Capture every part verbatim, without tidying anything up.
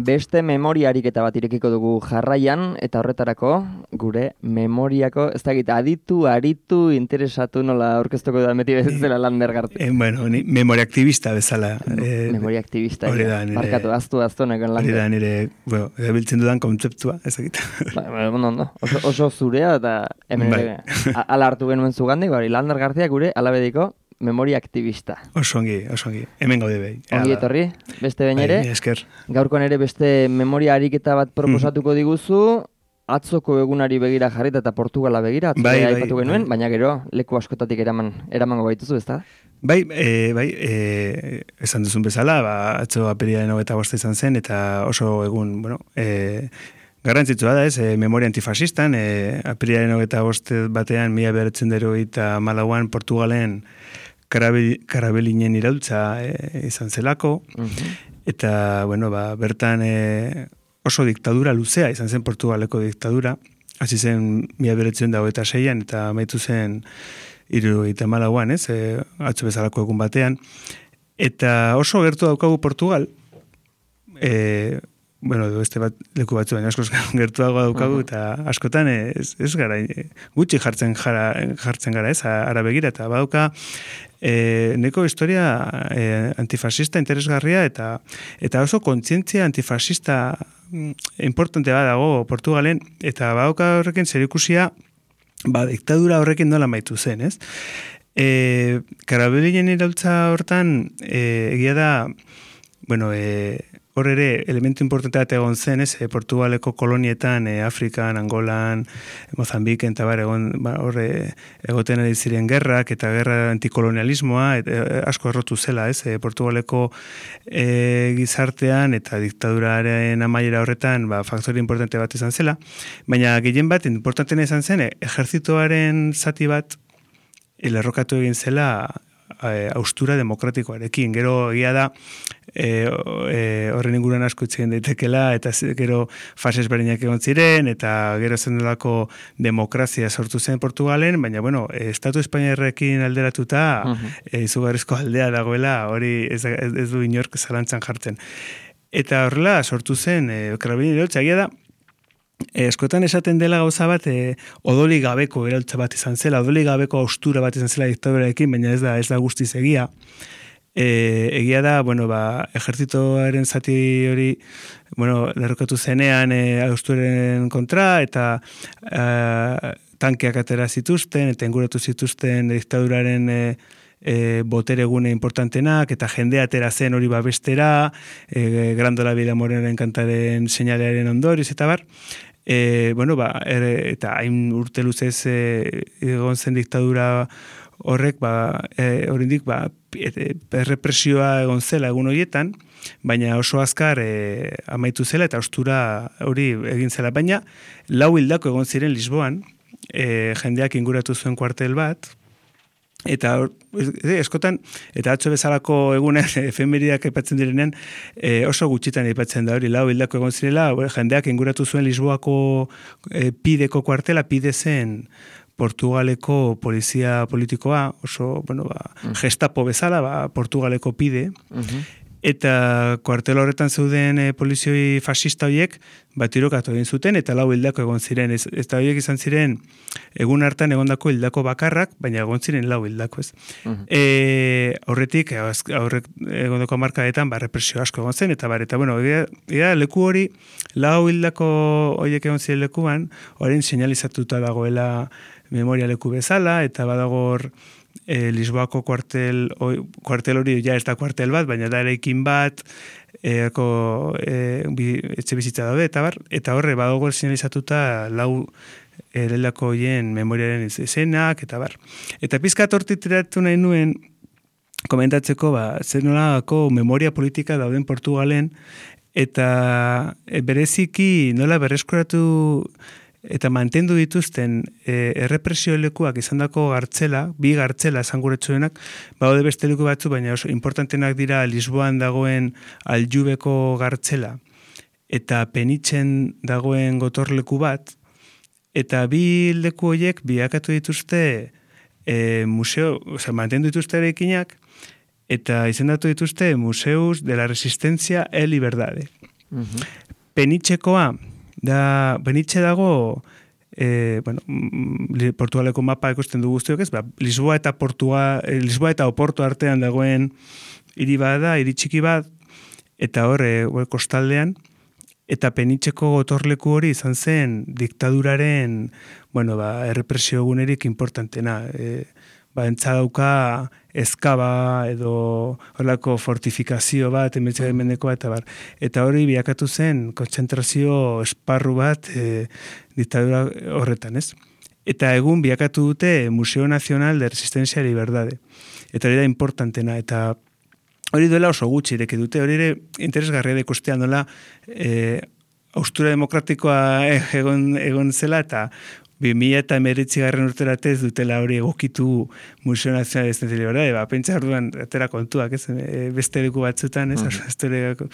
Beste memoria ariketa bat irekiko dugu jarraian, eta horretarako gure memoriako, ez dakit, aditu, aritu, interesatu nola aurkeztuko da meti bezala Lander Garcia. Eh, bueno, ni memoria aktivista bezala. Eh, memoria aktivista. Hori da, nire... Markatu, aztu, aztu nekon Lander. Hori da, nire, bueno, erabiltzen dudan kontzeptua, ez dakit. Ba, bueno, no, oso, oso zurea, eta hemen ere, ala hartu genuen zugandik, bari, Lander Garcia gure alabediko memoria aktivista. Oso ongi, oso ongi. Hemen gaude behi. Ongi etorri, beste behin ere. Esker. Gaurkoan ere beste memoria ariketa bat proposatuko diguzu, atzoko egunari begira jarrita eta Portugala begira, atzoko bai, aipatu bai, genuen, bai. Baina gero leku askotatik eraman, eramango baituzu, ezta? Bai, e, bai, e, esan duzun bezala, ba, atzo apirilaren hogeita bosta izan zen, eta oso egun, bueno, e, garrantzitsua da ez, e, memoria antifasistan, e, apirilaren hogeita boste batean, mila bedertzen dero eta malauan Portugalen karabelinen iraultza e, izan zelako, uh-huh. Eta, bueno, ba, bertan e, oso diktadura luzea izan zen Portugaleko diktadura, hasi zen mila bedertzen dago eta seian, eta amaitu zen hiru eta malauan, ez, e, atzo bezalako egun batean, eta oso gertu daukagu Portugal, e, bueno, beste bat leku batzu baina askoz gertuago daukagu, uh-huh. Eta askotan ez, ez gara, gutxi jartzen, jara, jartzen gara ez, ara begira, eta badauka e, neko historia e, antifasista interesgarria, eta eta oso kontzientzia antifasista importante bat dago Portugalen, eta badauka horrekin zerikusia, ba, diktadura horrekin nola maitu zen, ez? E, Karabelinen iraultza hortan, e, egia da, bueno, e, hor ere, elementu importantea egon zen, ez, Portugaleko kolonietan, e, Afrikan, Angolan, Mozambiken, eta bar, egon, ba, hor, e, egoten ari ziren gerrak, eta gerra antikolonialismoa, et, e, asko errotu zela, ez, e, Portugaleko e, gizartean, eta diktaduraren amaiera horretan, ba, faktore importante bat izan zela, baina gehien bat, importantena izan zen, e, ejertzitoaren zati bat, lerrokatu egin zela, austura demokratikoarekin. Gero egia da e, e, horren inguruan asko itzen daitekela, eta gero fases berinak egon ziren, eta gero zen delako demokrazia sortu zen Portugalen, baina bueno, Estatu Espainiarrekin alderatuta uh-huh. e, izugarrizko aldea dagoela, hori ez, ez, ez du inork zalantzan jartzen. Eta horrela sortu zen, e, karabelinen iraultza, egia da, E, eskotan esaten dela gauza bat, e, odoli gabeko iraultza bat izan zela, odoli gabeko austura bat izan zela diktadurarekin, baina ez da, ez da guztiz egia. E, egia da, bueno, ba, ejertzitoaren zati hori, bueno, lerrokatu zenean e, austuraren kontra, eta e, tankeak atera zituzten, eta inguratu zituzten diktaduraren e, E, botere gune importantenak, eta jendea atera zen hori babestera, e, Grandola Bila Morenaren kantaren seinalearen ondoriz, eta bar, e, bueno, ba, er, eta hain urte luzez e, egon zen diktadura horrek, ba, e, orindik, ba, errepresioa egon zela egun horietan, baina oso azkar e, amaitu zela, eta ostura hori egin zela, baina lau hildako egon ziren Lisboan, e, jendeak inguratu zuen kuartel bat, eta eskotan, eta atzo bezalako egunen efemeridak aipatzen direnean, e, oso gutxitan aipatzen da hori, lau hildako egon zirela, jendeak inguratu zuen Lisboako e, pideko kuartela, pide zen Portugaleko polizia politikoa, oso, bueno, ba, uh-huh. Gestapo bezala, ba, Portugaleko pide, uh-huh. Eta kuartel horretan zeuden e, polizioi fascista horiek bat tirokatu egin zuten, eta lau hildako egon ziren. Ez, ez da horiek izan ziren egun hartan egondako hildako bakarrak, baina egon ziren lau hildako ez. Uh-huh. E, horretik, horrek egondako markadetan, ba, represio asko egon zen, eta bar, eta bueno, ega, ega, leku hori, lau hildako horiek egon ziren lekuan, horien seinalizatuta dagoela memoria leku bezala, eta badagor E, Lisboako kuartel, oi, kuartel hori ja ez da kuartel bat, baina da eraikin bat, erako e, bi, etxe bizitza daude, eta bar, eta horre badago sinalizatuta lau erelako hien memoriaren izenak, eta bar. Eta pizkat hortitiratu nahi nuen, komentatzeko, ba, zer nolako memoria politika dauden Portugalen, eta e, bereziki nola berreskuratu eta mantendu dituzten e, errepresio lekuak izandako gartzela, bi gartzela esanguretsuenak, baude beste leku batzu, baina oso importantenak dira Lisboan dagoen Aljubeko gartzela, eta Penitzen dagoen gotorleku bat, eta bi leku horiek biakatu dituzte e, museo, oza, mantendu dituzte eraikinak, eta izendatu dituzte Museus de la Resistencia e Liberdade. Uh-huh. Penitxekoa, da, Penitxe dago, e, bueno, Portugaleko mapa ikusten du guztiok ez, ba, Lisboa eta Portua, Lisboa eta Oporto artean dagoen hiri bada, hiri txiki bat, eta hor, e, kostaldean, eta Penitxeko gotorleku hori izan zen diktaduraren, bueno, ba, errepresio egunerik importantena. E, ba, entzadauka eskaba edo horlako fortifikazio bat, emetxearen mendekoa, eta bar. Eta hori biakatu zen kontzentrazio esparru bat e, diktadura horretan, ez? Eta egun biakatu dute Museo Nacional de Resistencia y Liberdade. Eta hori da importantena, eta hori duela oso gutxi ireki dute, hori ere interesgarria da ikustean nola e, austura demokratikoa egon, egon zela, eta bi mila eta emeretzi garren urterate ez dutela hori egokitu Museo Nazional de Resistencia y Liberdade, ba, pentsa orduan atera kontuak, ez, e, beste leku batzutan, ez, uh-huh.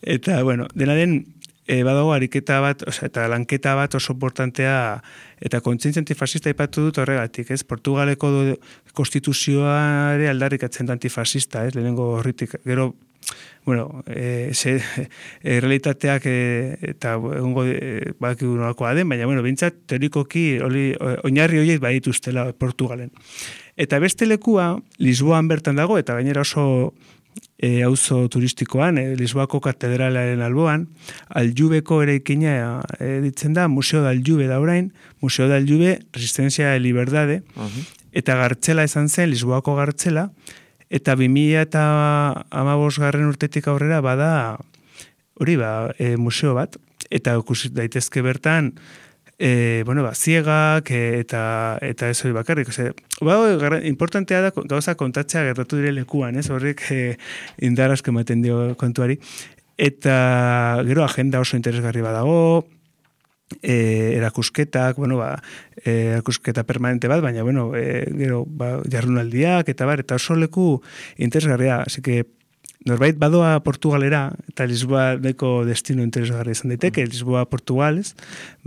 Eta, bueno, dena den, E, badago ariketa bat, osea, eta lanketa bat oso importantea, eta kontzientzia antifasista ipatu dut horregatik, ez? Portugaleko do, konstituzioare aldarrikatzen da antifasista, ez? Lehenengo horritik, gero, bueno, e, ze, e, realitateak e, eta egongo e, bakigu nolakoa den, baina, bueno, bintzat, teorikoki, oli, oinarri horiek badituztela Portugalen. Eta beste lekua, Lisboan bertan dago, eta gainera oso E, auzo turistikoan, e, Lisboako katedralaren alboan, Aljubeko eraikina e, ditzen da, Museo da Aljube da orain, Museo da Aljube, Resistencia y Liberdade, uh-huh. Eta gartzela izan zen, Lisboako gartzela, eta bi mila eta hamabost garren urtetik aurrera bada, hori ba, e, museo bat, eta ikusi daitezke bertan, E, bueno, ba, ziegak e, eta eta ez hori bakarrik. Ose, ba, importantea da gauza kontatzea gertatu dire lekuan, ez? Horrek e, indar asko ematen dio kontuari. Eta gero agenda oso interesgarri badago, e, erakusketak, bueno, ba, e, erakusketa permanente bat, baina, bueno, e, gero ba, jardunaldiak eta bar, eta oso leku interesgarria. Así que norbait badoa Portugalera, eta Lisboa deko destino interesgarri izan daiteke, Lisboa Portugales,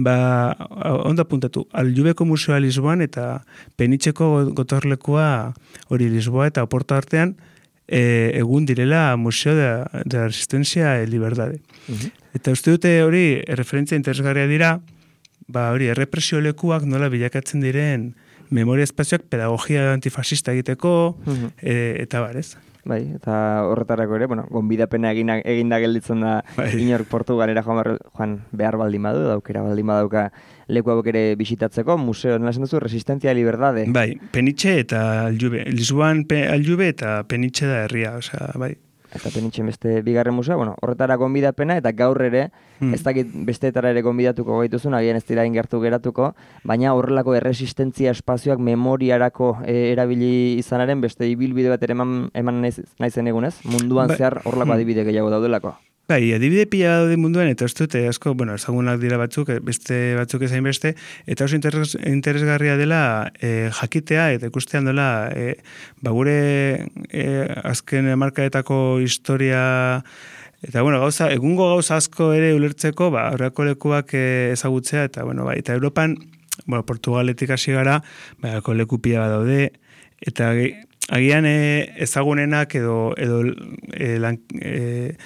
ba, ondo apuntatu, Aljubeko museoa Lisboan eta Penitxeko gotorlekua hori Lisboa eta Oporto artean, e, egun direla Museo de, de la Resistencia y Liberdade. Uh-huh. Eta uste dute hori referentzia interesgarria dira, ba, hori errepresio lekuak nola bilakatzen diren memoria espazioak pedagogia antifasista egiteko, uh-huh. e, eta bar, ez? Bai, eta horretarako ere, bueno, gonbidapena egina, eginda gelditzen da bai. Inork Portugalera joan, joan behar baldin badu, daukera baldin badauka leku hauek ere bisitatzeko, museo, nola esan duzu, Resistencia y Liberdade. Bai, Penitxe eta Aljube, Lisboan pe, Aljube eta Penitxe da herria, osea, bai. Eta Penitxe beste bigarren museo, bueno, horretara gonbidapena, eta gaur ere, hmm. ez dakit besteetara ere gonbidatuko gaituzun, agian ez dira ingertu geratuko, baina horrelako erresistentzia espazioak memoriarako e, erabili izanaren beste ibilbide bat ere eman, eman naiz, naizen egunez, munduan ba, zehar horrelako hmm. adibide gehiago daudelako. Bai, adibide pila daude munduan, eta ez dute, asko, bueno, ezagunak dira batzuk, beste batzuk ezain beste, eta oso interes, interesgarria dela e, jakitea, eta ikustean dela, e, ba gure e, azken markaetako historia, eta bueno, gauza, egungo gauza asko ere ulertzeko, ba, horreko lekuak e, ezagutzea, eta bueno, bai, eta Europan, bueno, Portugaletik hasi gara, ba, horreko leku pila bat daude, eta agian e, ezagunenak edo, edo e, lan, e,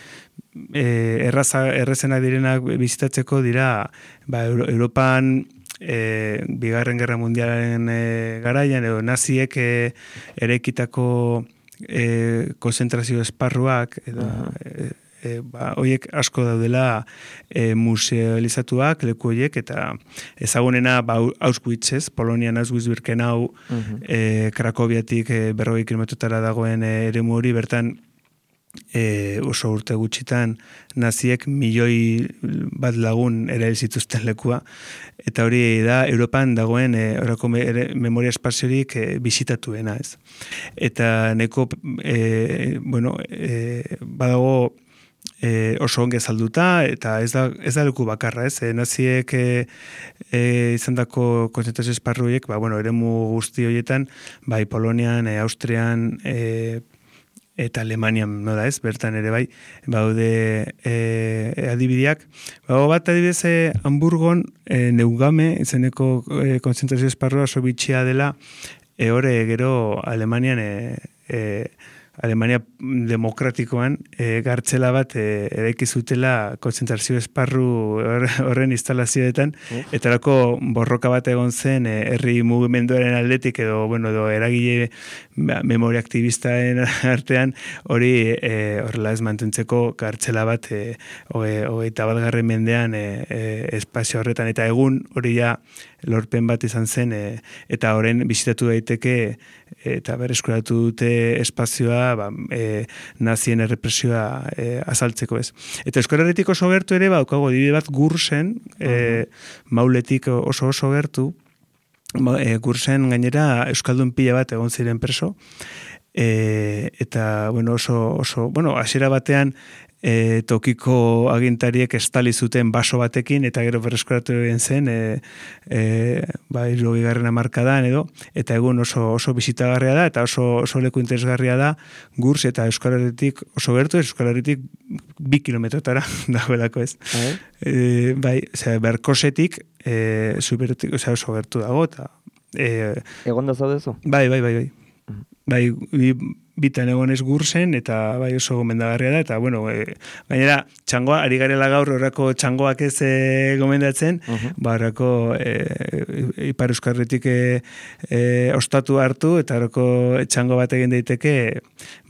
E, erraza, errezenak direnak bizitatzeko dira ba, Euro, Europan e, bigarren gerra mundialaren e, garaian edo naziek e, erekitako e, konzentrazio esparruak edo, e, e, ba, oiek asko daudela e, musealizatuak leku oiek eta ezagunena ba, Auschwitz, ez? Polonian Auschwitz-Birkenau uh-huh. e, Krakowiatik e, berrogei kilometrotara dagoen e, eremu hori bertan E, oso urte gutxitan naziek milioi bat lagun erail zituzten lekua eta hori da Europan dagoen e, orako me, ere, memoria espaziorik e, bisitatuena, ez. Eta neko e, bueno, e, badago e, oso onge salduta eta ez da, ez da leku bakarra, ez. E, naziek e, e, izandako konzentrazio esparruiek, ba, bueno, eremu guzti horietan, bai Polonian, e, Austrian, e, eta Alemanian, no da ez, bertan ere bai, baude e, adibideak. Bago bat adibidez e, Hamburgon e, Neugame, izeneko e, konzentrazio esparrua oso bitxia dela, e, hore gero Alemanian e, e, Alemania demokratikoan e, gartzela bat e, eraiki zutela kontzentrazio esparru horren instalazioetan, eta erako borroka bat egon zen e, herri mugimenduaren aldetik edo, bueno, edo eragile ba, memoria aktivistaen artean hori e, horrela ez mantentzeko gartzela bat e, hogeita bat garren mendean e, e, espazio horretan, eta egun hori ja lorpen bat izan zen e, eta horren bisitatu daiteke eta berreskuratu dute espazioa ba, e, nazien errepresioa e, azaltzeko ez. Eta Euskal Herritik oso gertu ere, ba, daukago adibide bat Gursen, e, Mauletik oso oso gertu, e, Gursen gainera Euskaldun pila bat egon ziren preso, e, eta bueno, oso, oso, bueno, hasiera batean E, tokiko agintariek estali zuten baso batekin eta gero berreskuratu egin zen e, e, ba, hirurogeita hamarkadan edo, eta egun oso oso bisitagarria da eta oso, oso leku interesgarria da Gurs eta Euskal Herritik oso gertu, Euskal Herritik bi kilometrotara dagoelako ez. E, bai, osea, Berkosetik e, zubertik, osea, oso gertu dago eta e, egon da zaudezu? Bai, bai, bai, bai. Bai, bi, bitan egon ez Gursen, eta bai oso gomendagarria da, eta bueno, e, gainera, txangoa, ari garela gaur horrako txangoak ez e, gomendatzen, uh-huh. ba, horrako e, Ipar Euskarritik e, e, ostatu hartu, eta horrako txango bat egin daiteke,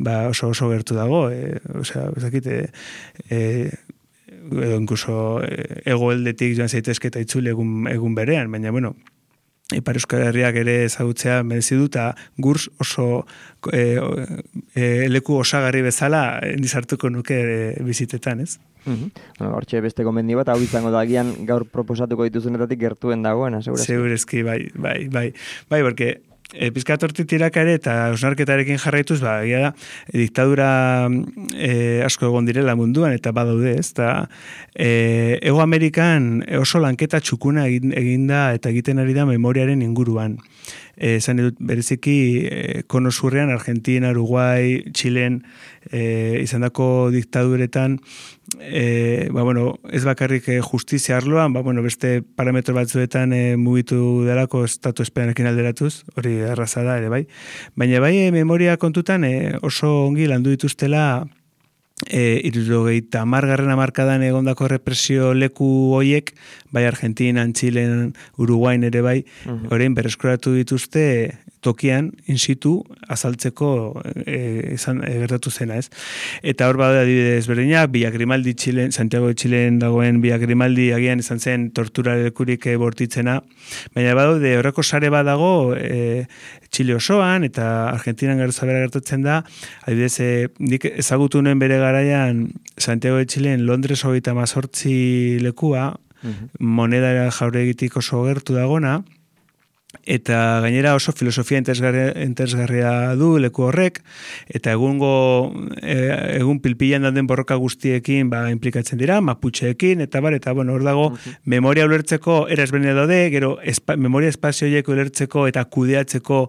ba, oso oso gertu dago, e, osea, ezakit, e, e, edo incluso e, egoeldetik joan zaitezke eta itzule egun, egun berean, baina, bueno, Ipar Euskal Herriak ere ezagutzea merezi du, eta Gurs oso e, e, leku osagarri bezala nizartuko nuke e, bizitetan, ez? Uh-huh. Bueno, hortxe beste gomendi bat, hau izango da agian gaur proposatuko dituzunetatik gertuen dagoena, segurezki. Segurezki, bai, bai, bai, bai, porque E, pizkat hortik tiraka ere eta osnarketarekin jarraituz, ba, egia da, e, diktadura e, asko egon direla munduan eta badaude, ez da, e, Ego Amerikan oso lanketa txukuna egin, eginda eta egiten ari da memoriaren inguruan. Esan edut bereziki e, kono zurrean, Argentina, Uruguay, Chilen, e, izandako diktaduretan, e, ba, bueno, ez bakarrik e, justizia arloan, ba, bueno, beste parametro batzuetan e, mugitu delako estatu espainiarekin alderatuz, hori erraza da ere bai. Baina bai e, memoria kontutan e, oso ongi landu dituztela E, hirurogeita hamargarren hamarkadan egondako represio leku hoiek, bai Argentinan, Txilen, Uruguain ere bai, uh-huh. orain berreskuratu dituzte tokian, in situ, azaltzeko e, izan, e, gertatu zena, ez? Eta hor bada adibidez berdinak, Villa Grimaldi Txilen, Santiago de Txilen dagoen Villa Grimaldi agian izan zen tortura lekurik e, bortitzena, baina badaude horreko sare badago e, Txile osoan, eta Argentinan gero zabera gertatzen da, adibidez, e, nik ezagutu nuen bere garaian Santiago de Txilen Londres hogeita mazortzi lekua, uh-huh. moneda jauregitik oso gertu dagona, eta gainera oso filosofia interesgarria, interesgarria du leku horrek, eta egungo e, egun pilpilan dauden borroka guztiekin ba, implikatzen dira, maputxeekin, eta bar, eta bueno, hor dago, uh-huh. memoria ulertzeko era ezberdina daude, gero espa, memoria espazioiek ulertzeko eta kudeatzeko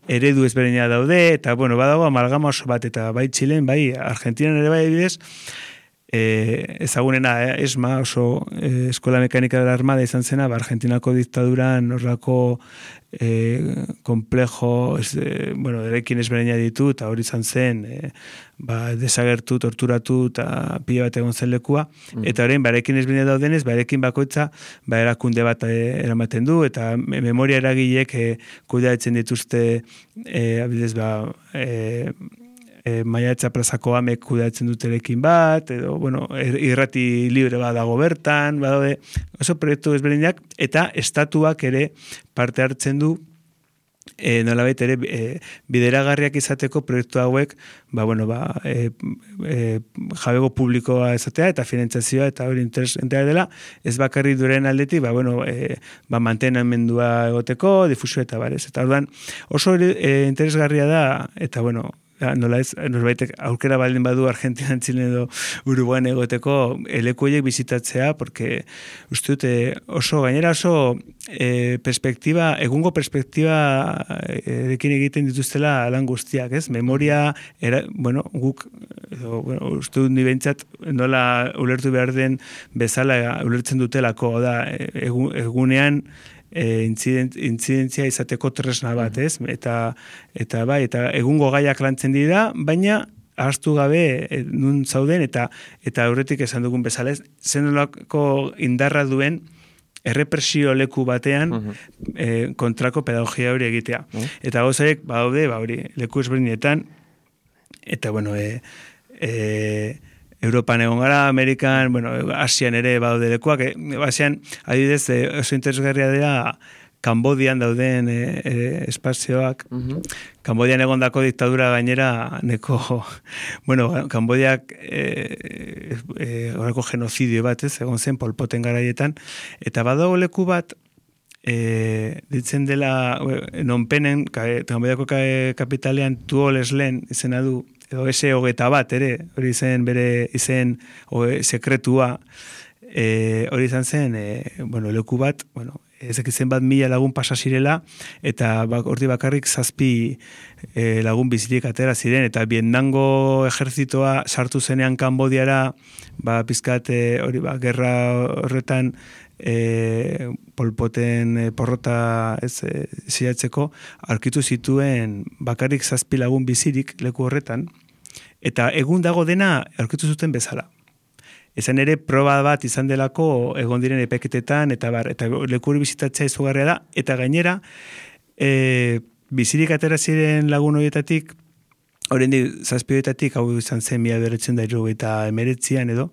eredu ezberdina daude, eta bueno, badago amalgama oso bat, eta bai Txilen, bai Argentinan ere bai bidez, E, ezagunena, eh, esma, oso eh, eskola mekanika de la armada izan zena, ba, Argentinako diktaduran horrako eh, komplejo, ez, eh, bueno, erekin ezberdina ditu, eta hori izan zen, eh, ba, desagertu, torturatu, eta pila bat egon zen lekua, mm. eta horrein, barekin ezberdina daudenez, barekin bakoitza, ba, erakunde bat eh, eramaten du, eta memoria eragilek eh, kudeatzen dituzte, eh, abidez, ba, eh, E, Maiatza plazako amek kudeatzen dutelekin bat, edo, bueno, irrati libre bat dago bertan, badaude, oso proiektu ezberdinak, eta estatuak ere parte hartzen du, e, nolabait ere e, bideragarriak izateko proiektu hauek, ba, bueno, ba, e, e, jabego publikoa izatea, eta finantzazioa, eta hori interesentea dela, ez bakarri duren aldetik, ba, bueno, e, ba, mantenamendua egoteko, difusio eta barez. Eta orduan, oso e, interesgarria da, eta, bueno, nola ez, norbaitek aukera baldin badu Argentinan, Txilen edo Uruguain egoteko elekoiek bizitatzea, porque uste dute oso, gainera oso e, perspektiba, egungo perspektiba erekin egiten dituztela lan guztiak, ez? Memoria, era, bueno, guk, edo, bueno, uste dut nibentzat nola ulertu behar den bezala ulertzen dutelako, da, egun, egunean e, incident, incidentzia izateko tresna bat, ez? Eta, eta bai, eta egungo gaiak lantzen dira, baina ahaztu gabe e, nun zauden, eta eta aurretik esan dugun bezala, ez? Zenolako indarra duen errepresio leku batean uh-huh. e, kontrako pedagogia hori egitea. Uh-huh. Eta gozaiek, badaude, ba hori, leku ezberdinetan, eta bueno, e, e, Europan egon gara, Amerikan, bueno, Asian ere badaude lekuak, e, Asian, adibidez, e, oso interesgarria dira Kambodian dauden e, e, espazioak. Uh-huh. Kambodian egondako diktadura gainera neko, bueno, Kambodiak e, e, horreko genozidio bat, ez, egon zen Pol Poten garaietan, eta badago leku bat, e, ditzen dela, non penen, Kambodiako kapitalean Tuoleslen izena du, edo ese hogeta bat, ere, hori izen bere izen oe, sekretua, e, hori izan zen, e, bueno, leku bat, bueno, ezek izen bat mila lagun pasa zirela, eta bak, ordi bakarrik zazpi e, lagun bizirik atera ziren, eta Vietnamgo ejerzitoa sartu zenean Kambodiara, ba, pizkat, e, hori, ba, gerra horretan, e, Pol Poten e, porrota ez e, ziatzeko, aurkitu zituen bakarrik zazpi lagun bizirik leku horretan, eta egun dago dena aurkitu zuten bezala. Ezen ere proba bat izan delako egon diren epeketetan, eta bar, eta leku hori bizitatzea izugarria da, eta gainera, e, bizirik atera ziren lagun horietatik, oraindik zazpi horietatik, hau izan zen mila bederatziehun eta hirurogeita hemeretzian edo,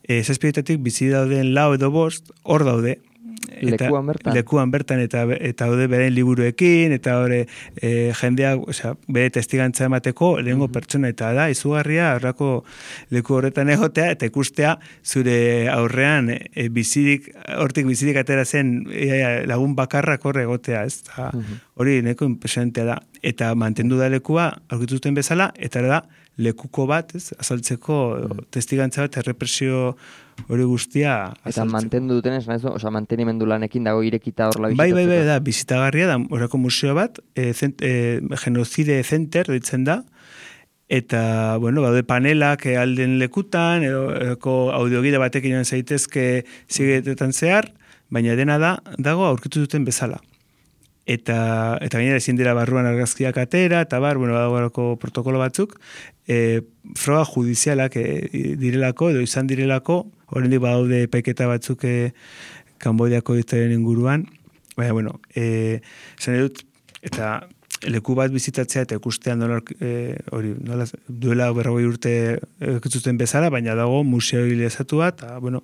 e, zazpi horietatik bizi dauden lau edo bost, hor daude, eta, lekuan bertan. Lekuan bertan, eta, eta daude beren liburuekin, eta hori e, jendea, osea, bere testigantza emateko, lehengo uh-huh. pertsona, eta da, izugarria, horrako leku horretan egotea, eta ikustea, zure aurrean, e, bizirik, hortik bizirik atera zen, e, lagun bakarrak horre egotea, ez da, uh-huh. hori neko impresionantea da, eta mantendu da lekua, aurkitu duten bezala, eta da, lekuko bat, ez, azaltzeko uh-huh. testigantza bat, errepresio hori guztia azaltzeko. Eta mantendu duten ez, oza, mantenimendu lanekin dago irekita horla bizitatzeko. Bai, bai, bai, da, bizitagarria da, horako museo bat, e, zent, e, Genocide Center ditzen da, eta, bueno, baude panelak e, alden lekutan, edo audiogide batekin joan zaitezke zigetetan zehar, baina dena da, dago aurkitu duten bezala. Eta, eta gainera ezin dira barruan argazkiak atera, eta bar, bueno, badagoelako protokolo batzuk, e, froga judizialak e, direlako, edo izan direlako, oraindik badaude epaiketa batzuk e, Kambodiako diktaduraren inguruan, baina, bueno, e, esan dut, eta leku bat bizitatzea eta ikustean nola, e, hori, nola, duela berrogei urte ikutzuten bezala, baina dago museoilizatua, eta, bueno,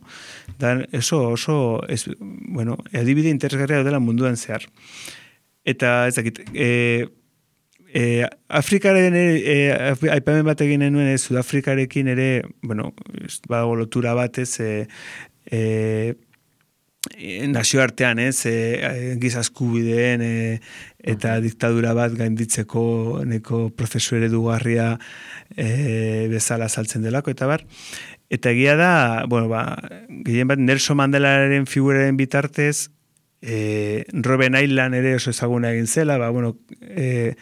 da, eso, oso, ez, bueno, adibide interesgarria dela munduan zehar. Eta, ez dakit, e, e, Afrikaren e, aipamen bat egin nuen, Sudafrikarekin ere, bueno, badago lotura batez, e, e, nazioartean, ez, e, giza eskubideen e, eta diktadura bat gainditzeko neko prozesu eredugarria e, bezala saltzen delako, eta bar. Eta egia da, bueno, ba, gehien bat Nelson Mandelaren figuraren bitartez, e, Robben Island ere oso ezaguna egin zela, ba, bueno, e,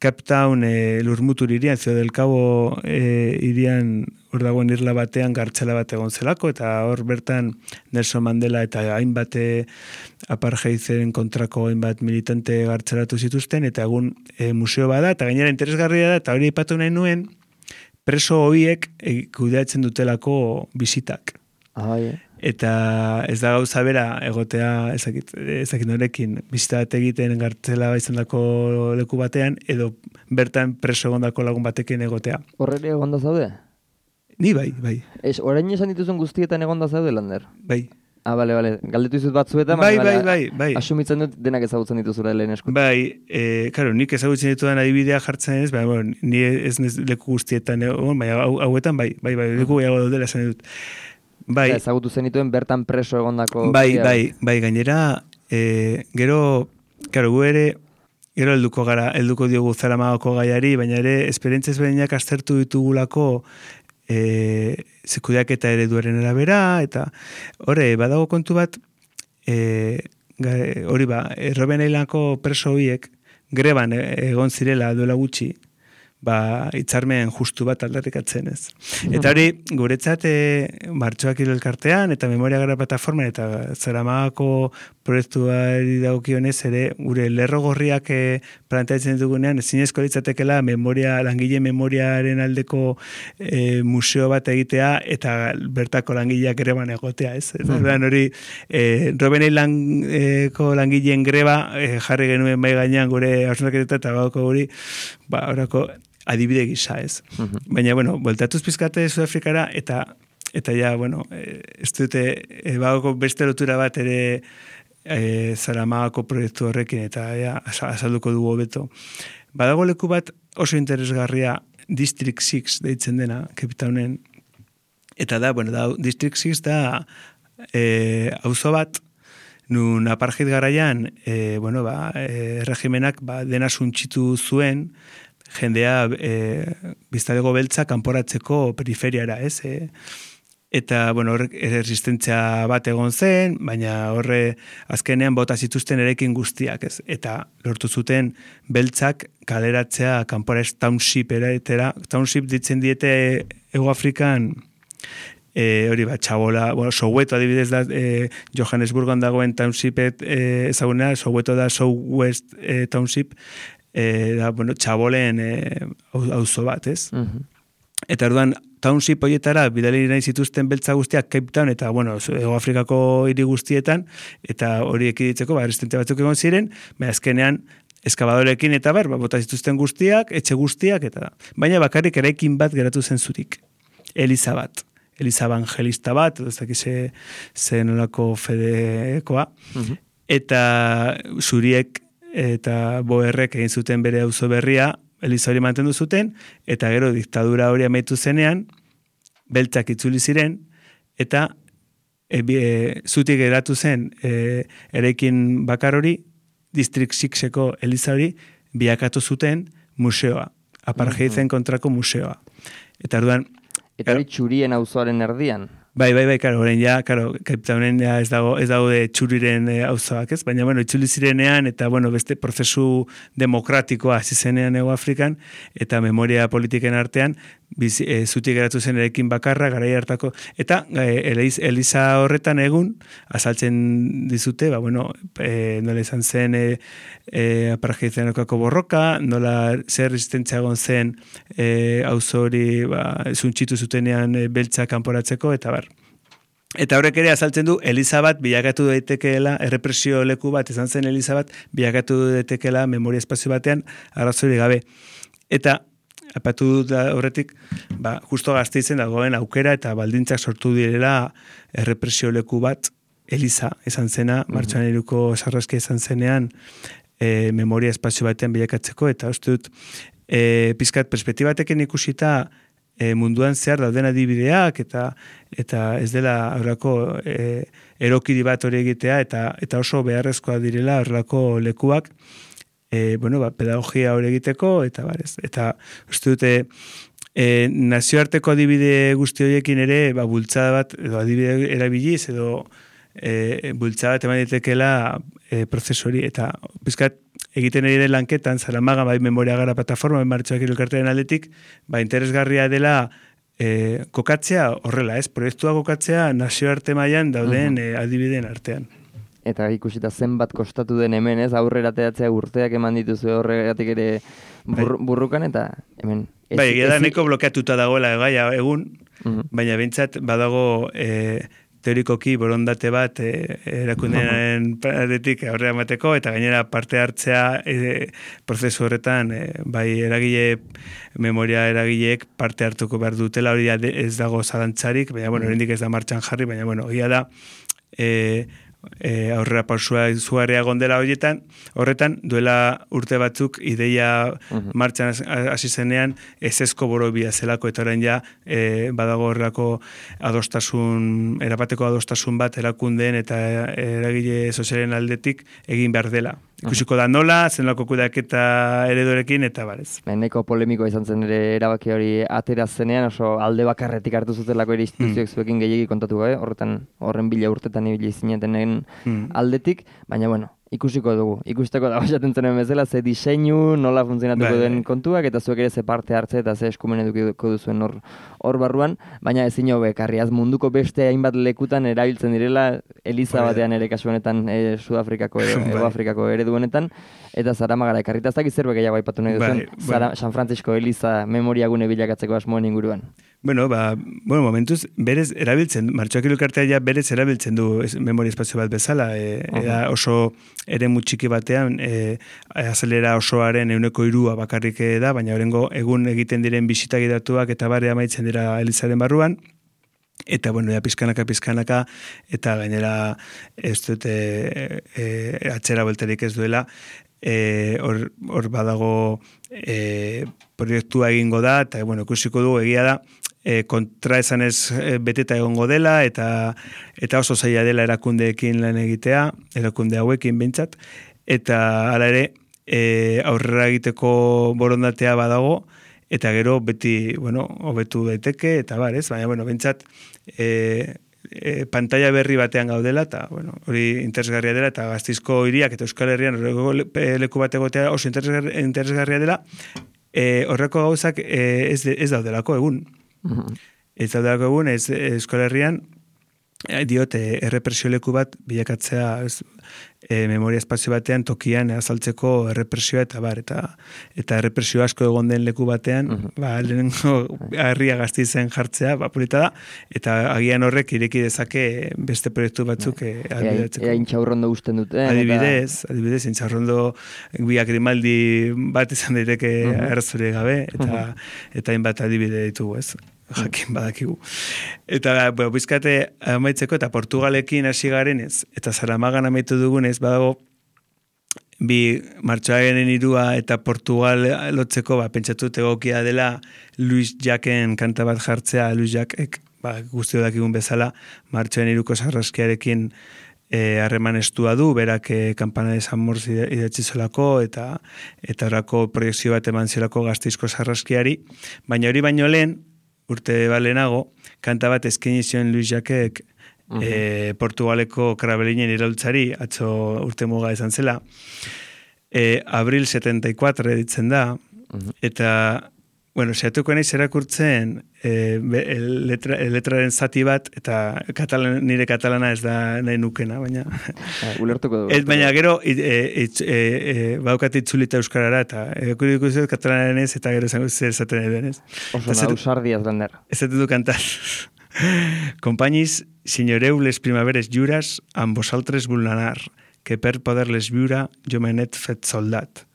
Cape Town e, Lurmutur irian, Ciudad del Cabo e, irian hor dagoen irla batean gartxela bat egon zelako, eta hor bertan Nelson Mandela eta hainbat apartheiden kontrako hainbat militante gartxelatu zituzten, eta egun e, museo bada, eta gainera interesgarria da, eta hori aipatu nahi nuen, preso horiek e, kudeatzen dutelako bisitak. Ah, yeah. Eta ez da gauza bera egotea ezakit, ezakit norekin bizita bat egiten gartzela izandako leku batean, edo bertan preso egondako lagun batekin egotea. Horreri egonda zaude? Ni bai, bai. Ez, orain esan dituzun guztietan egonda zaude, Lander? Bai. Ah, bale, bale. Galdetu izut batzuetan, bai, bale, bai, bai, bai. Asumitzen dut denak ezagutzen dituzura lehen eskutu. Bai, e, karo, nik ezagutzen ditudan adibidea jartzen ez, baina, bueno, ni ez leku guztietan egon, baina hauetan, bai, bai, bai, leku gehiago daudela esan dut. Bai. Ezagutu zenituen bertan preso egondako... Bai, bai, bai, gainera, e, gero, karo, gu ere, gero helduko gara, helduko diogu Zaramagako gaiari, baina ere, esperientzia ezberdinak aztertu ditugulako e, zekudeak eta ereduaren arabera, eta hori, badago kontu bat, e, hori ba, Robben Islandko preso horiek, greban egon zirela duela gutxi, ba, hitzarmen justu bat aldarrikatzen ez. Eta hori, guretzat e, Martxoak Hilo elkartean, eta Memoria Gara plataforman, eta Zaramagako proiektuari dagokionez ere, gure lerro gorriak e, planteatzen dugunean, zinezko litzatekela memoria, langile memoriaren aldeko e, museo bat egitea, eta bertako langileak greban egotea, ez? Eta mm. hori, e, Robenei langeko langileen greba e, jarri genuen bai gainean gure hausnarketa eta bauko guri, ba, orako adibide gisa, ez? Mm-hmm. Baina, bueno, bueltatuz pizkate Sudafrikara, eta eta ja, bueno, ez dute, e, bauko beste lotura bat ere E, Zaramagako proiektu horrekin eta ja, azalduko dugu hobeto. Badago leku bat oso interesgarria District six deitzen dena, Capetownen, eta da, bueno, da, District six da e, auzo bat, nun apartheid garaian, e, bueno, ba, e, regimenak ba, dena suntxitu zuen, jendea e, biztalego beltza kanporatzeko periferiara, ez? E, Eta, bueno, horrek erresistentzia bat egon zen, baina horre azkenean bota zituzten erekin guztiak, ez? Eta lortu zuten beltzak kaleratzea kanpora township eratera. Township ditzen diete Ego Afrikan, e, hori bat, txabola, bueno, Soweto adibidez da, e, Johannesburgon dagoen township e, ezagunea, Soweto da South West e, township, e, da, bueno, txabolen e, auzo bat, ez? Uh-huh. Eta orduan, township horietara bidali nahi zituzten beltza guztiak Cape Town eta, bueno, Ego Afrikako hiri guztietan, eta hori ekiditzeko, ba, resistente batzuk egon ziren, baina azkenean eskabadorekin eta ber, ba, bota zituzten guztiak, etxe guztiak, eta baina bakarrik eraikin bat geratu zen zurik. Eliza bat. Eliza evangelista bat, ez dakize zen olako fedekoa. Uh-huh. Eta zuriek eta boerrek egin zuten bere auzo berria, Eliza hori mantendu zuten, eta gero diktadura hori amaitu zenean, beltzak itzuli ziren, eta e, e, zutik geratu zen e, eraikin bakar hori, District sixeko Eliza hori biakatu zuten museoa, apartheiden kontrako museoa. Eta orduan, eta hori txurien auzoaren erdian. Bai, bai, bai, karo, horrein ja, karo, Capetownen ja ez dago, ez dago de txuriren e, auzoak, ez? Baina, bueno, itzuli zirenean, eta, bueno, beste prozesu demokratikoa hasi zenean Ego Afrikan, eta memoria politiken artean, biz, e, zutik geratu zen erekin bakarra, garai hartako, eta e, Eliz, Eliza horretan egun, azaltzen dizute, ba, bueno, e, nola izan zen e, e, apartheidenokako borroka, nola zer resistentzia egon zen e, auzo hori, ba, zuntxitu zutenean e, beltza kanporatzeko, eta bar. Eta horrek ere azaltzen du, Eliza bat bilakatu daitekeela, errepresio leku bat, izan zen Eliza bat, bilakatu daitekeela memoria espazio batean, arrazori gabe. Eta, apatu dut horretik, ba, justo Gasteizen dagoen aukera eta baldintzak sortu direla errepresio leku bat, Eliza izan zena, mm-hmm. martxoan iruko sarraskia izan zenean, e, memoria espazio batean bilakatzeko, eta uste dut, e, pizkat perspektibatekin ikusita, E, munduan zehar dauden adibideak eta eta ez dela horrelako e, erokiri bat hori egitea eta eta oso beharrezkoa direla horrelako lekuak e, bueno, ba, pedagogia hori egiteko eta barez. Eta uste dute e, nazioarteko adibide guzti horiekin ere ba, bultzada bat edo adibide erabiliz edo e, bultzada bat eman ditekela e, prozesu hori eta pizkat egiten ere lanketan, Zaramaga, bai memoria gara plataforma, bai martxoak elkartearen aldetik, ba interesgarria dela e, kokatzea horrela, ez? Proiektua kokatzea nazioarte mailan dauden uh-huh. e, adibideen artean. Eta ikusita zenbat kostatu den hemen, ez? Aurrera teatzea urteak eman dituzu horregatik ere bur, burrukan, eta hemen... Ez, bai, egia da neko blokeatuta dagoela gaia egun, uh-huh. baina behintzat badago... E, teorikoki borondate bat e, erakundearen paretik aurrera emateko eta gainera parte hartzea e, prozesu horretan e, bai eragile memoria eragileek parte hartuko behar dutela hori ez dago zalantzarik, baina bueno, oraindik ez da martxan jarri, baina bueno, egia da e, e, aurrera pausua izugarria gondela horietan, horretan duela urte batzuk ideia uh-huh. martxan hasi zenean ezezko borobia zelako eta orain ja e, badago horrelako adostasun, erapateko adostasun bat erakundeen eta eragile sozialen aldetik egin behar dela. Ikusiko da nola, zenolako kudeaketa eredorekin eta barez. Neko polemikoa izan zen ere erabaki hori atera zenean, oso alde bakarretik hartu zutelako ere instituzioek mm. zuekin gehiegi kontatu gabe, horretan horren bila urtetan ibili zinetenen mm. aldetik, baina bueno, ikusiko dugu. Ikusteko dago esaten zenen bezala, ze diseinu, nola funtzionatuko Bai, den bai. kontuak, eta zuek ere ze parte hartze eta ze eskumen edukiko duzuen hor hor barruan, baina ezin hobe karriaz munduko beste hainbat lekutan erabiltzen direla, Eliza Hori da. batean ere kasu honetan e, Sudafrikako edo Bai. Hego Afrikako eredu honetan, eta Zaramagara ekarrita ez dakit zerbait gehiago aipatu nahi duzuen, Bai, Zara, bueno. San Francisco Eliza memoriagune bilakatzeko asmoen inguruan. Bueno, ba, bueno, momentuz, berez erabiltzen, Martxoak elkartea ja berez erabiltzen du es, memoria espazio bat bezala, e, uh-huh. oso ere txiki batean, e, azelera osoaren euneko irua bakarrik da, baina orengo egun egiten diren bisitagi datuak eta bare amaitzen dira Elizaren barruan, eta, bueno, ja, pizkanaka, pizkanaka, eta gainera ez dute e, atxera belterik ez duela, hor e, badago e, proiektua egingo da, eta, bueno, ikusiko du egia da, e, kontra esanez e, beteta egongo dela, eta eta oso zaila dela erakundeekin lan egitea, erakunde hauekin behintzat, eta hala ere, e, aurrera egiteko borondatea badago, eta gero beti, bueno, hobetu daiteke, eta bar, ez? Baina, bueno, behintzat, e, e, pantalla berri batean gaudela, eta, bueno, hori interesgarria dela, eta Gasteizko hiriak eta Euskal Herrian horreko leku bat egotea oso interesgarria, interesgarria dela, e, horreko gauzak e, ez, ez daudelako egun. Uh-huh. Ez daudelako egun, ez Euskal Herrian, e, diote errepresio leku bat bilakatzea ez, e, memoria espazio batean tokian azaltzeko errepresioa eta bar, eta, eta errepresio asko egon den leku batean, uh-huh. ba, lehenengo herria Gasteizen jartzea, ba, polita da, eta agian horrek ireki dezake beste proiektu batzuk e, albidatzeko. Ea intxaurrondo guzten dute. Adibidez, eta... adibidez, intxaurrondo biak Grimaldi bat izan daiteke uh-huh. errazure gabe, eta uh-huh. eta hainbat adibide ditugu, ez? Jakin badakigu. Eta, bueno, bizkate amaitzeko, eta Portugalekin hasi garenez, eta Zaramagan amaitu dugunez, badago, bi Martxoaren irua eta Portugal lotzeko, ba, pentsatut egokia dela Luis Jacken kanta bat jartzea, Luis Jackek, ba, guztio dakigun bezala, Martxoaren iruko sarraskiarekin harreman e, estua du, berak e, Campana de San Morz idatzi zelako, eta eta horako proiekzio bat eman zelako Gasteizko sarraskiari, baina hori baino lehen, urte balenago, kanta bat eskaini zion Luis Jackek uh-huh. e, Portugaleko Krabelinen iraultzari, atzo urte muga izan zela, e, Abril setenta y cuatro editzen da, uh-huh. eta, bueno, sehatuko naiz erakurtzen e, letra, letraren zati bat, eta katalan, nire katalana ez da nahi nukena, baina... Ulertuko dugu. Ez, baina gero, e, e, e, e, baukat itzulita euskarara, eta ekuriko zuz katalanaren ez, eta gero zango zer esaten edo ez. Oso nausardiaz, Lander. Ezaten du kantar. Compañis, señoreu les primaveres lluras, amb vosaltres vulnerar, que per poder-les viure jo me n'he fet soldat.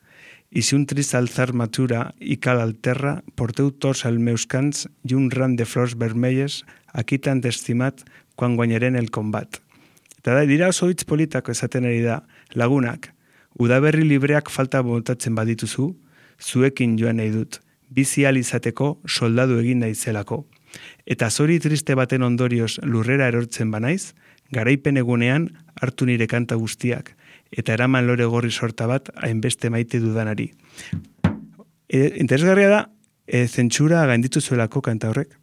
I si un trist alzar matura i cal al terra, porteu tots els meus cants i un ram de flors vermelles, aquí tan estimat quan guanyaren el combat. Eta da, dira oso hitz politako esaten ari da, lagunak, udaberri libreak falta botatzen badituzu, zuekin joan nahi dut, bizi ahal izateko soldadu egin naizelako. Eta zori triste baten ondorioz lurrera erortzen banaiz, garaipen egunean hartu nire kanta guztiak, eta eraman lore gorri sorta bat hainbeste maite dudanari. E, interesgarria da, e, zentsura gainditu zuelako kanta horrek.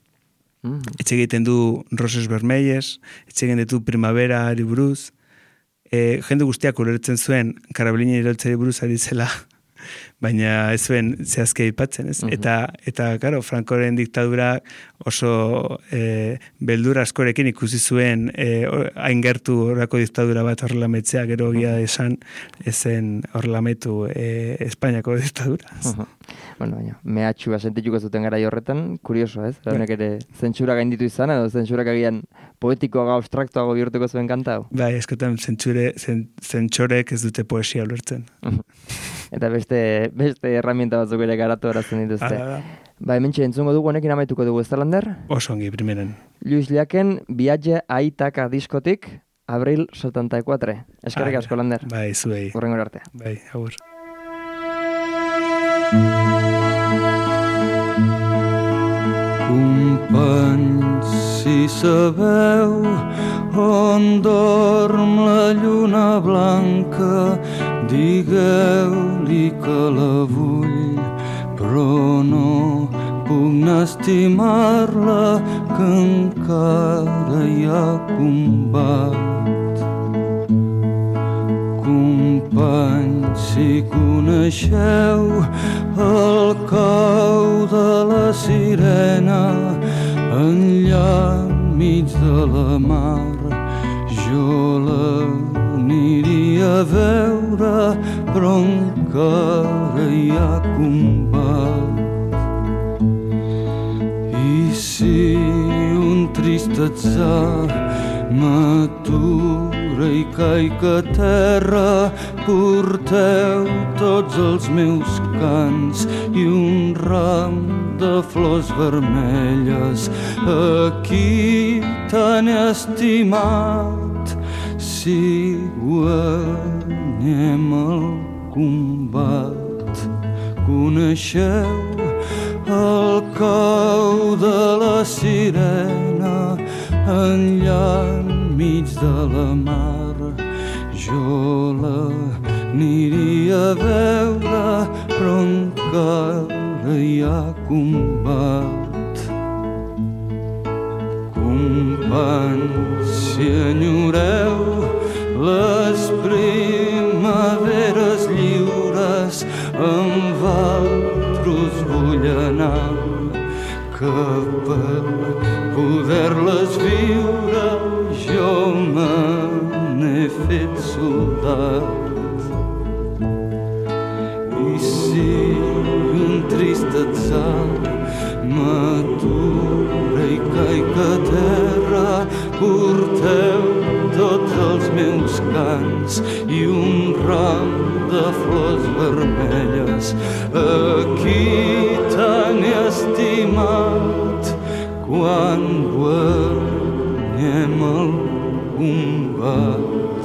Mm. Etxe egiten du Roses Vermelles, etxe egiten du Primavera ari buruz, e, jende guztiak ulertzen zuen Karabelinen iraultzari buruz ari zela, baina ez zuen zehazke aipatzen, ez? Mm-hmm. Eta, eta, karo, Frankoren diktadura oso e, beldur askorekin ikusi zuen e, hain gertu horrako diktadura bat horrelametzea, gero gira esan ezen horrelametu e, Espainiako diktadura. Uh-huh. Bueno, baina, mehatxua sentituko zuten gara horretan, kurioso, ez? Honek ere zentsura gainditu izan, edo zentsurak agian poetikoago, abstraktoago bihurtuko zuen kanta hau? Bai, eskotan zentsure, zentsorek ez dute poesia ulertzen. Uh-huh. Eta beste, beste herramienta batzuk ere garatu horatzen dituzte. Ba, hementxe entzungo dugu, honekin amaituko dugu, ez da, Lander? Oso ongi, primeren. Luis Jacken, Viatge a Itaka diskotik, Abril setenta y cuatro. Eskerrik asko, Lander. Bai, zuei. Hurrengo arte. Bai, agur. Companys, si sabeu on dorm la lluna blanca, digueu-li que la vull, però no puc estimar-la, que encara hi ha combat. Companys, Companys, si coneixeu el cau de la sirena enllà enmig de la mar, jo l'aniria a veure, però encara hi ha combat. I si un trist atzar m'atura i caic a terra, porteu tots els meus cants i un ram de flors vermelles a qui tan he estimat. Si guanyem el combat, coneixeu el cau de la sirena enllà enmig de la mar, jo l'aniria a veure, però encara hi ha combat. Companys, si enyoreu les primaveres lliures, amb altres vull anar, que per poder-les viure jo me n'he fet soldat. I si un trist atzar m'atura i caic a terra, porteu tots els meus cants i un ram de flors vermelles a qui tan he estimat. Quan guanyem el combat,